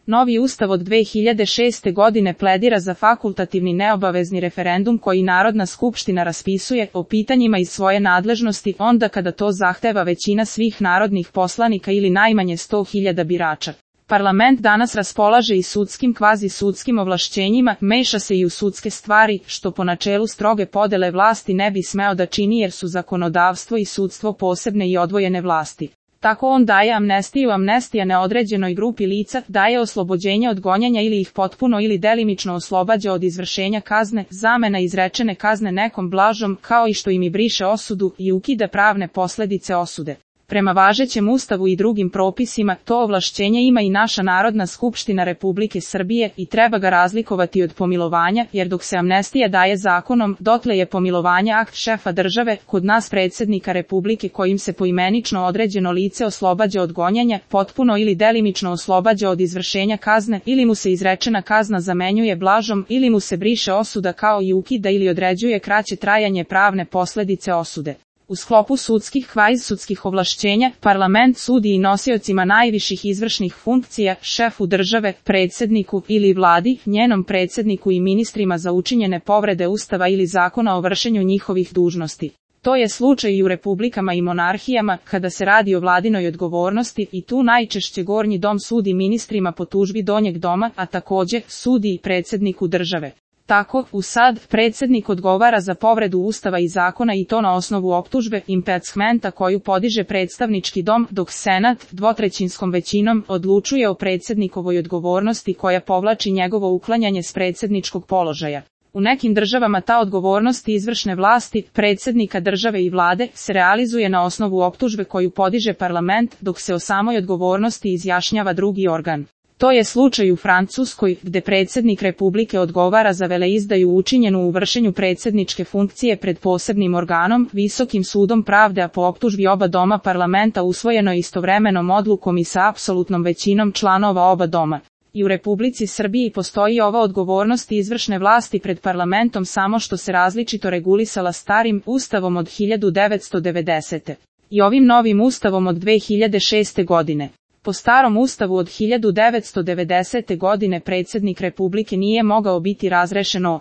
Novi ustav od 2006. godine pledira za fakultativni neobavezni referendum koji Narodna skupština raspisuje o pitanjima iz svoje nadležnosti onda kada to zahteva većina svih narodnih poslanika ili najmanje 100.000 birača. Parlament danas raspolaže i sudskim kvazi-sudskim ovlašćenjima, meša se i u sudske stvari, što po načelu stroge podele vlasti ne bi smeo da čini jer su zakonodavstvo i sudstvo posebne i odvojene vlasti. Tako on daje amnestiju, amnestija neodređenoj grupi lica, daje oslobođenje od gonjenja ili ih potpuno ili delimično oslobađa od izvršenja kazne, zamena izrečene kazne nekom blažom, kao i što im i briše osudu i ukida pravne posledice osude. Prema važećem ustavu i drugim propisima, to ovlašćenje ima i naša Narodna skupština Republike Srbije i treba ga razlikovati od pomilovanja, jer dok se amnestija daje zakonom, dotle je pomilovanje akt šefa države, kod nas predsjednika Republike kojim se poimenično određeno lice oslobađa od gonjenja, potpuno ili delimično oslobađa od izvršenja kazne, ili mu se izrečena kazna zamenjuje blažom, ili mu se briše osuda kao i ukida ili određuje kraće trajanje pravne posledice osude. U sklopu sudskih kvazisudskih ovlašćenja, parlament sudi i nosiocima najviših izvršnih funkcija, šefu države, predsjedniku ili vladi, njenom predsjedniku i ministrima za učinjene povrede ustava ili zakona o vršenju njihovih dužnosti. To je slučaj i u republikama i monarhijama, kada se radi o vladinoj odgovornosti i tu najčešće gornji dom sudi ministrima po tužbi donjeg doma, a također sudi i predsjedniku države. Tako, USAD, predsjednik odgovara za povredu ustava i zakona i to na osnovu optužbe, impeachmenta koju podiže predstavnički dom, dok Senat, dvotrećinskom većinom, odlučuje o predsjednikovoj odgovornosti koja povlači njegovo uklanjanje s predsjedničkog položaja. U nekim državama ta odgovornost izvršne vlasti, predsjednika države i vlade, se realizuje na osnovu optužbe koju podiže parlament, dok se o samoj odgovornosti izjašnjava drugi organ. To je slučaj u Francuskoj, gde predsjednik Republike odgovara za veleizdaju učinjenu u vršenju predsjedničke funkcije pred posebnim organom, Visokim sudom pravde, a po optužbi oba doma parlamenta usvojeno istovremenom odlukom i sa apsolutnom većinom članova oba doma. I u Republici Srbiji postoji ova odgovornost izvršne vlasti pred parlamentom samo što se različito regulisala starim ustavom od 1990. i ovim novim ustavom od 2006. godine. Po starom ustavu od 1990. godine predsjednik Republike nije mogao biti razrešen o